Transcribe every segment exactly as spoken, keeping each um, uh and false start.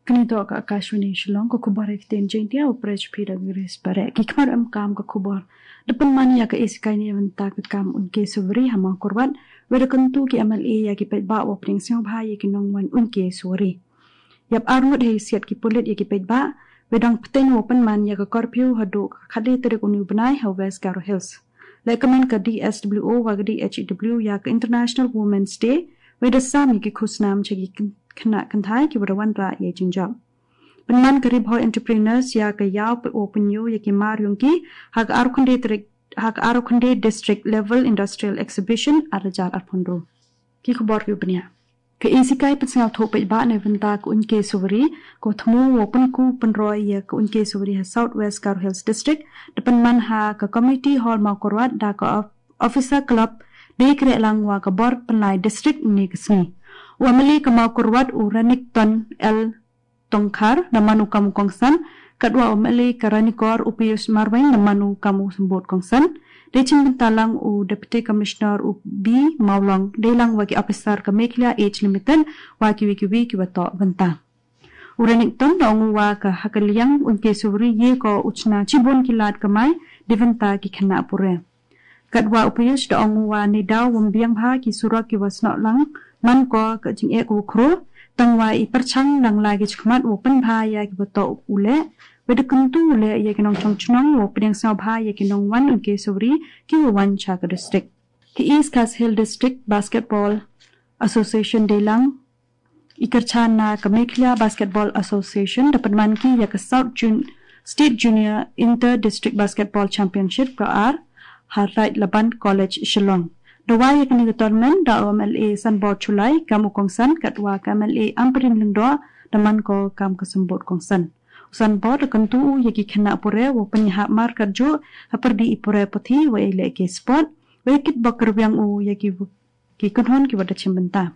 Kani to ka Akashvani Shillong, ka khubor ha ktien Jaintia, u press phi da Grace Bareh. Ki khmar em kam ka khubor. Da pynman ïa ka A C K ni bynta ka kam unke suwari ha Mawkyrwat, wei da kyntu ki M L A ïa ki paidbah wa pdiang sngewbha ïa ki nongwan unke suwari. Ïap arngut hei siat ki pulit ïa ki paidbah, wei dang pteng wa pynman ïa ka curfew haduh ka khatlai tarik uni u bnai ha West Garo Hills. Lehkmen ka D S W O wa ka D H W ïa ka International Women's Day, wei da sam ïa ki khusnam cha ki kyn-, khynnah kynthai ki wa da wanrah ïa i jingjop. Pynman ka Ri Bhoi Entrepreneurs ïa ka ïaw pynïoh ïa ki mar ïong ki ha ka arphew khyndai tarik, ha ka arphew khyndai District Level Industrial Exhibition ar hajar arphew hynriew. Ki khubor ki u bniah. Ka A C K pynsngewthuh paidbah na bynta ka unke suwari, ka thmu wa pynku pynroi ïa ka unke suwari ha South West Garo Hills District, da pynman ha ka Community Hall Mawkyrwat da ka of-, Officer Club, dei kreh lang wa ka bor pynlai district uni ka sngi. U M L A ka Mawkyrwat u Renikton L Tongkhar, da man u kam u kongsan, katwa u M L A ka Ranikor u Pius Marwein, da man u kam u symbud kongsan. Dei chimbynta lang u Deputy Commissioner u B Mawlong, dei lang wa ki officer ka Meghalaya Age Limited, wa ki wi ki wi ki wa toh bynta. U Renikton da ong u wa ka ha ka liang unke suwari ïa ka u chna chibun ki lad kamai, da bynta ki khynnah pure. Katwa u Pius da ong u wa neidaw wym biang bha ki surok ki wa snoh lang, man ko ka jingeh ka wa khro, tang wa i pyrchang dang lai ki chakmat wa pynbha ïa ki wa toh u leh, wei da kyntu u leh ïa ki nongchong chnong wa pdiang sngewbha ïa ki nongwan unke suwari ki wa wan cha ka district. Ki East Khasi Hills District Basketball Association dei lang i kyrchan na ka Meghalaya Basketball Association da pynman ki ïa ka South Jun-, State Junior Inter District Basketball Championship ka ar ha Raid Laban College Shillong. Da wai ïa kani ka tournament da u M L A Sanbor Chulai kam u kongsan katwa ka M L A Ampareen Lyngdoh da man ko kam ka symbud kongsan. U Sanbor da kyntu u ïa ki khynnah pure wa pynïaid mar katjuh ha pyrdi i pure puthi wa i leh ki sport, wei kit bok kyrwiang u ïa ki ki kynhun ki wa da chimbynta.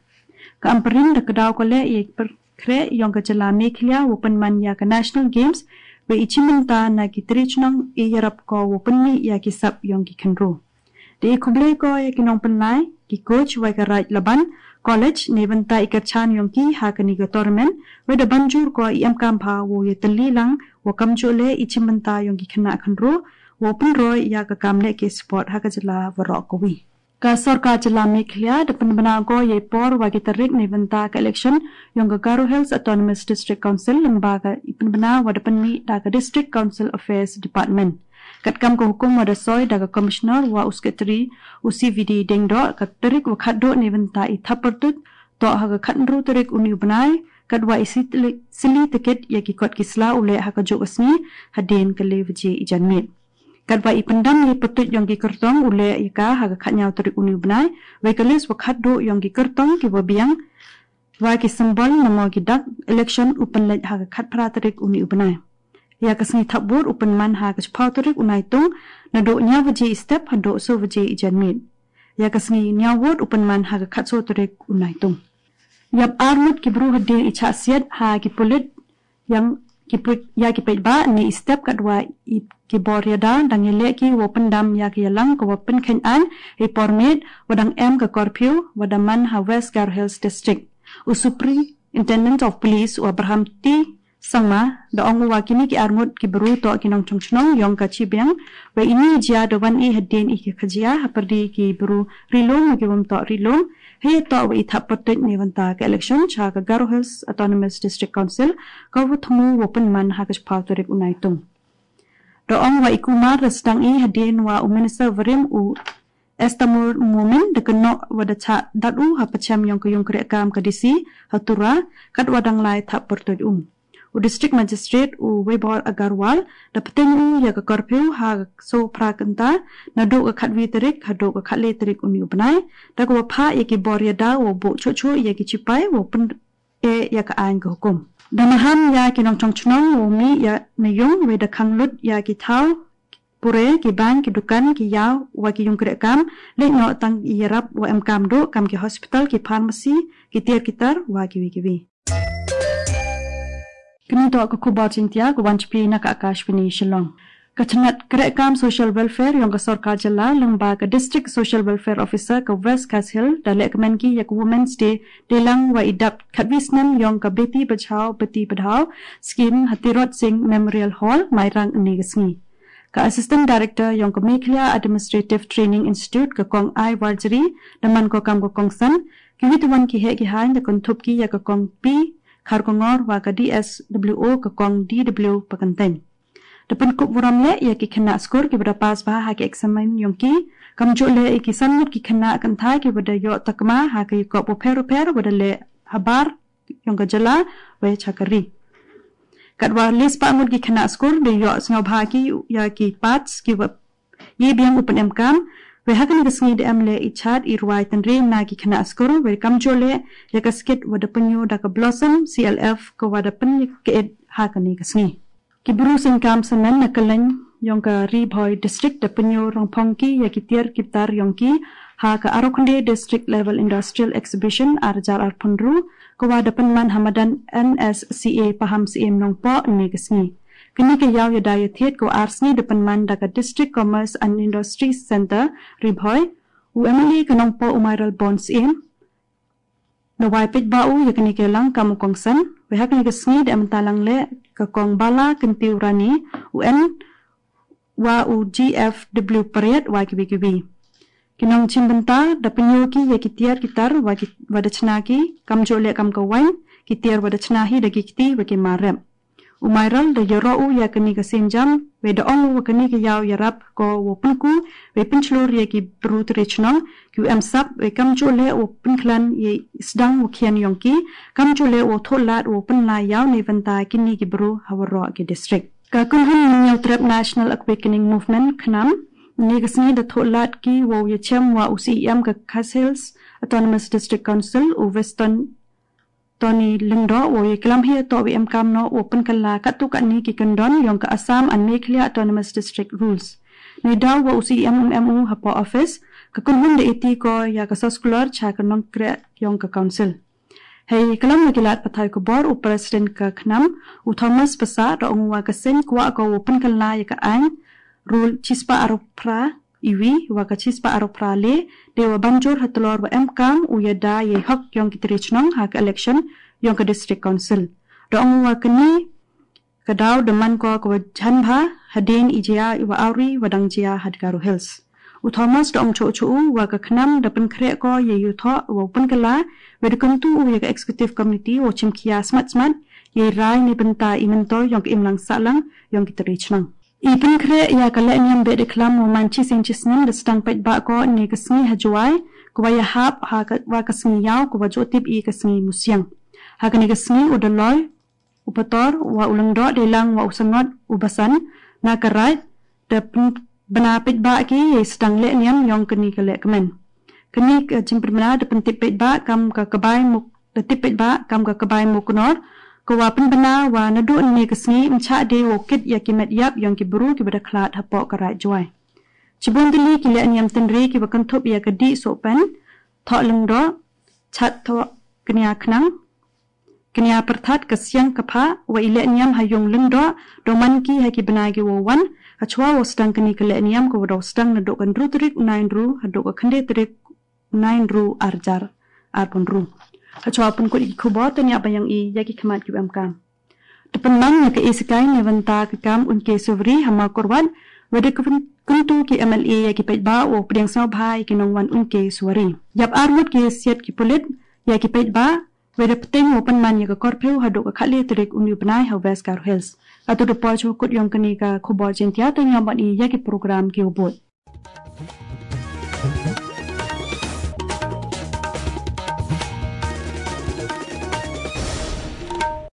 Ka Ampareen da kdaw ko leh ïa ki pyrkhreh ïong ka jylla Meghalaya wa pynman ïa ka National Games, wei i chimbynta na ki tri chnong i ïarap ko wa pynmih ïa ki sap ïong ki khynru. Da i khublei ko ïa ki nongpynlai, ki coach wei ka Raid Laban College na bynta i kyrchan ïong ki ha kani ka tournament, wei da banjur ko i em kam bha wa ïa tylli lang wa kamjooh leh i chimbynta ïong ki khynnah khynru, wa pynroi ïa ka kam leh ki sport ha ka jylla waroh kawi. Ka sorkar jylla Meghalaya da pynbna ko ïa i por wa ki tarik na bynta ka election ïong ka Garo Hills Autonomous District Council lyngba ka i pynbna wa da pynmih da ka District Council Affairs Department. Katkam ka hukum wa da soi da ka Commissioner wa u Secretary u C V D Diengdoh, ka tarik wa khatduh na bynta i thap pyrtuid toh ha ka khathynriew tarik uni u bnai, katwa i sitli-, sylli tiket ïa ki kot ki sla u leh ha kajuh ka sngi hadien ka lai baje i janmiet. Katwa i pyndam ïa i pyrtuid ïong ki kyrtong u leh ïa ka ha ka khathynñiaw tarik uni u bnai, wei ka list wa khatduh ïong ki kyrtong ki wa biang wa ki symbol namo ki dak election u pynleit ha ka khatphra tarik uni u bnai. Ïa ka sngi thap vote u pynman ha ka chiphew tarik u Naitung, naduh hynñiew baje i step haduh soo baje i janmiet. Ïa ka sngi hynñiew vote u pynman ha ka khatsaw tarik u Naitung. Ïap arngut ki bru hadien i chah siat ha ki pulit ïa ki pui-, ïa ki paidbah na i step katwa i ki bor ïada dang ïaleh ki wa pyndam ïa ki ïalang ka wa pynkheiñ ain ha i por miet wa dang em ka curfew wa da man ha West Garo Hills District. U Superintendent of Police u Abraham T Sangma da ong u wa kini ki arngut ki bru toh ki nongchong chnong ïong ka chibiang, wei ini i jia da wan i hadien i ki khajia ha pyrdi ki bru ri lum wa ki wym toh ri lum, hei toh wa i thap pyrtuid na bynta ka election cha ka Garo Hills Autonomous District Council ka wa thmu wa pynman ha ka chiphew tarik u Naitung. Da ong wa i Kumar da sdang i hadien wa u Minister warim u Estamur Momin da kynnoh wa da chah dat u ha pachem ïong ka ïung kreh kam ka D C ha Tura, katwa dang lai thap pyrtuid u. U District Magistrate u Vibhor Agarwal da pteng u ïa ka curfew ha ka soo phra kynta naduh ka khatwi tarik haduh ka khatlai tarik uni u bnai, da ka wa phah ïa ki bor ïada wa buh chuh chuh ïa ki chipai wa pyn- e ïa ka ain ka hukum. Da maham ïa ki nongchong chnong wa mih ïa na ïung wei da khang lut ïa ki thaw pure, ki bank, ki dukan, ki ïaw wa ki ïung kreh kam, leit noh tang i ïarap wa em kam duh kam ki hospital, ki pharmacy, ki tiar ki tar wa ki wi ki wi. Kani toh ka khubor Jaintia ka wan chapli na ka Akashvani Shillong. Ka chnat krehkam Social Welfare yong ka sorkar jylla lyngba ka District Social Welfare Officer ka West Khasi Hills da lehkmen ki ya ka Women's Day deilang wa i dap khatwi snem yong ka Beti Bachao Beti Padhao scheme ha Tirot Singh Memorial Hall, Mairang, ynne ka sngi. Ka Assistant Director yong ka Meghalaya Administrative Training Institute ka Kong I Warjri da man ko kam ka kongsan, kiwi twan ki heh ki hain da kynthup ki ya ka Kong P Kharkongor wa ka D S W O ka Kong D W Pakanteng. Da pynkup burom leh ya ki khynnah skur kiwa da pass bha ha ki eksamen yong ki, kamjooh leh ya ki san ngut ki khynnah kynthai kiwa da yoh takma ha ki yakop wapher wapher wa da leh habar yong ka jylla wa chakri. Katwa leh spah ngut ki khynnah skur da yoh sngewbha ki ya ki pass kiwa ye biang u pynemkam, wa ha kani ka sngi da em leh i chat i rwai tynre na ki khynnah skur wa kamjooh leh ya ka skit wa da pynyoh da ka Blossom C L F kawa da pynkaed ha kani ka sngi. Ki bru sengkam samen na kylleng yong ka Ri Bhoi District da pynyoh rongphong ki ya ki tiar ki tar yong ki ha ka Arakhonde District Level Industrial Exhibition ar hajar arphew hynriew kawa da pynman ha madan N S C A Paham Syiem Nongpoh ynne ka sngi. Kani ka yaw ya da ya thied kawa ar sngi da pynman da ka District Commerce and Industry Centre Ri Bhoi, u M L A ka Nongpoh u Mayralborn Syiem. Na wai peit ba u ya kani ka lang kam u kongsan, wa ha kani ka sngi da em talang leh ka Kong Bala Kyntiu Rani, u N wa u G F W Pariat wa kiwi kiwi. Ki nongchim bynta da pynyoh ki ya ki tiar ki tar wa ki, wa da chna ki, kamjooh leh kam ka wain, ki tiar wa da chna hi da ki kti wa ki marep. U Mayral da yaroh u ya kani ka sienjam, wa da ong u wa kani ka yaw yarap ko wa pynku, wa pynchlur ya ki bru tre chnong, ki u em sap, wa kamjooh leh wa pynkhlan ya sdang wa khian yong ki, kamjooh leh wa thoh lad wa pynlai yaw neibynta kini ki bru ha waroh ki district. Ka kynhun Mynyaw Trep National Awakening Movement, KNAM, ynne ka sngi da thoh lad ki wow yachem wa u C E M ka Khasi Hills Autonomous District Council, u Weston Tony Lyngdoh, wow yaklam hi atoh wa emkam noh wa pynkylla katto katne ki kyndon yong ka Assam and Meghalaya Autonomous District Rules. Neidaw wa u C E M um em u hapoh office, ka kynhun da iti ko ya ka soskular cha ka nongkreh yong ka council. Hei klam wa ki lad pathai khubor u President ka KNAM, u Thomas Passah, da ong u wa ka seng kwah ko wow pynkylla ya ka ain, rule chispah arphew phra iwi, wa ka chispah arphew phra le, de wa banjur ha tlor wa emkam u ya da ya hok yong ki tre chnong ha ka election yong ka District Council. Da ong u wa kani ka daw da man ko ka wa jan bha, hadien i jia i wa awri wa dang jia ha Garo Hills. U Thomas da ong chooh chooh u wa ka KNAM da pynkhreh ko ya u thoh wow pynkylla, wa da kyntu u ya ka Executive Committee wow chimkhia smat smat ya i rai neibynta i myntoi yong ka imlang sahlang yong ki tre chnong. I pynkhreh ya ka lehniam beh da klam wow man chisien chisnem da sdang paidbah ko ynne ka sngi ha Jowai, ka wa ya hap ha ka, wa ka sngi yaw ka wa jooh tip i ka sngi Musiang. Ha kani ka sngi u da loi u Pator, wa u Lyngdoh, deilang wa u Sangot, u Basan, na ka raid da pyn-, bna paidbah ki ya i sdang lehniam yong kani ka lehkmen. Kani ka jingpynbna da pyntip paidbah kam ka Kbai Muk-, da tip paidbah kam ka Kbai Muknor, ka wa pynbna wa naduh ynne ka sngi ym chah de wow kit ya ki met yap yong ki bru ki wa da khlad hapoh ka raid Jowai. Chibun tylli ki lehniam tynre ki wa kynthup ya ka dih sohpen, thoh lyngdoh, chat thoh knia khnang, knia pyrthat ka siang ka phah, wa i lehniam ha yung Lyngdoh, da man ki ha ki bnai ki wow wan, hachwa wow sdang kani ka lehniam ka wa daw sdang naduh ka hynriew tarik u Naiynriew haduh ka khyndai tarik u Naiynriew ar hajar arphew hynriew. Hachwa pynkut i ki khubor, tania ba yong i ya ki khmat ki wa emkam. Da pynman ya ka e sikai neibynta ka kam Unke Suwari ha Mawkyrwat, wa da kyn-, kyntu ki M L A ya ki paidbah wow pdiang sngewbha ya ki nongwan Unke Suwari. Yap ar ngut ki siat ki pulit ya ki paidbah, wa da pteng wow pynman ya ka curfew haduh ka khatle tarik uni u bnai ha West Garo Hills. Katu da poi chooh kut yong kani ka khubor Jaiñtia, tania ba i ya ki program ki wa bud.